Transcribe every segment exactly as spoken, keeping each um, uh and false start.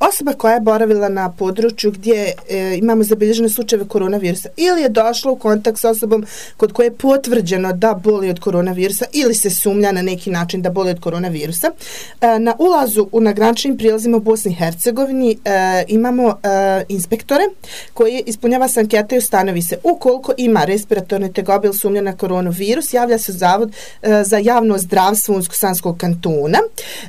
osoba koja je boravila na području gdje e, imamo zabilježene slučajeve koronavirusa ili je došla u kontakt s osobom kod koje je potvrđeno da boli od koronavirusa ili se sumnja na neki način da boli od koronavirusa, e, na ulazu u na graničnim prijelazima u Bosni i Hercegovini e, imamo e, inspektore koji ispunjava se anketa i ustanovi se ukoliko ima respiratorne tegobe ili sumnja na koronavirus, javlja se Zavod e, za javno zdravstvo Unsko-Sanskog kantona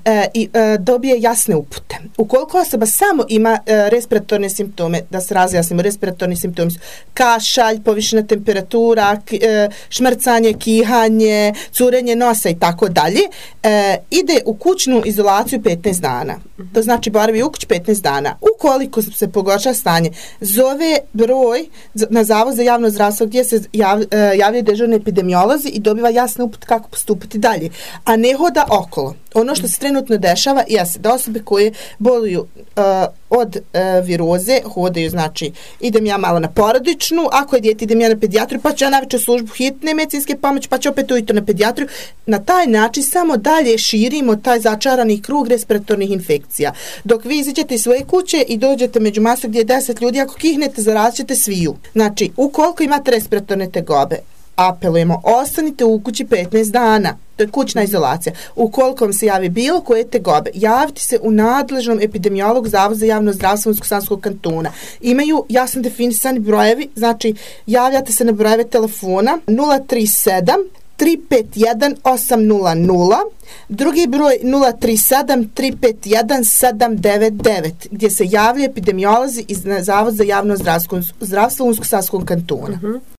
e, i e, dobije jasne upute. Ukoliko osoba samo ima e, respiratorne simptome, da se razjasnimo, respiratorni simptomi su kašalj, povišena temperatura, k, e, šmrcanje, kihanje, curenje nosa i tako dalje, e, ide u kućnu izolaciju petnaest dana. To znači boravi u kući petnaest dana. Ukoliko se pogorša stanje, zove broj na Zavod za javno zdravstvo gdje se jav, e, javljaju dežurni epidemiolozi i dobiva jasne upute kako postupiti dalje, a ne hoda okolo. Ono što se trenutno dešava jeste da osobe koje boluju uh, od uh, viroze hodaju, znači idem ja malo na porodičnu, ako je dijete idem ja na pedijatriju, pa ću ja navečer službu hitne medicinske pomoći, pa ću opet ujutro na pedijatriju. Na taj način samo dalje širimo taj začarani krug respiratornih infekcija. Dok vi izađete iz svoje kuće i dođete među masu gdje je deset ljudi, ako kihnete, zarazit ćete sviju. Znači, ukoliko imate respiratorne tegobe, apelujemo, ostanite u kući petnaest dana. To je kućna izolacija. Ukoliko vam se javi bilo koje tegobe, javite se u nadležnom epidemiologu Zavoda za javno zdravstvo Unsko-Sanskog kantona. Imaju jasno definisani brojevi, znači javljate se na brojeve telefona nula tri sedam tri pet jedan osam nula nula, drugi broj nula tri sedam tri pet jedan sedam devet devet, gdje se javljaju epidemiolozi iz Zavoda za javno zdravstvo Unsko-Sanskog kantona. Uh-huh.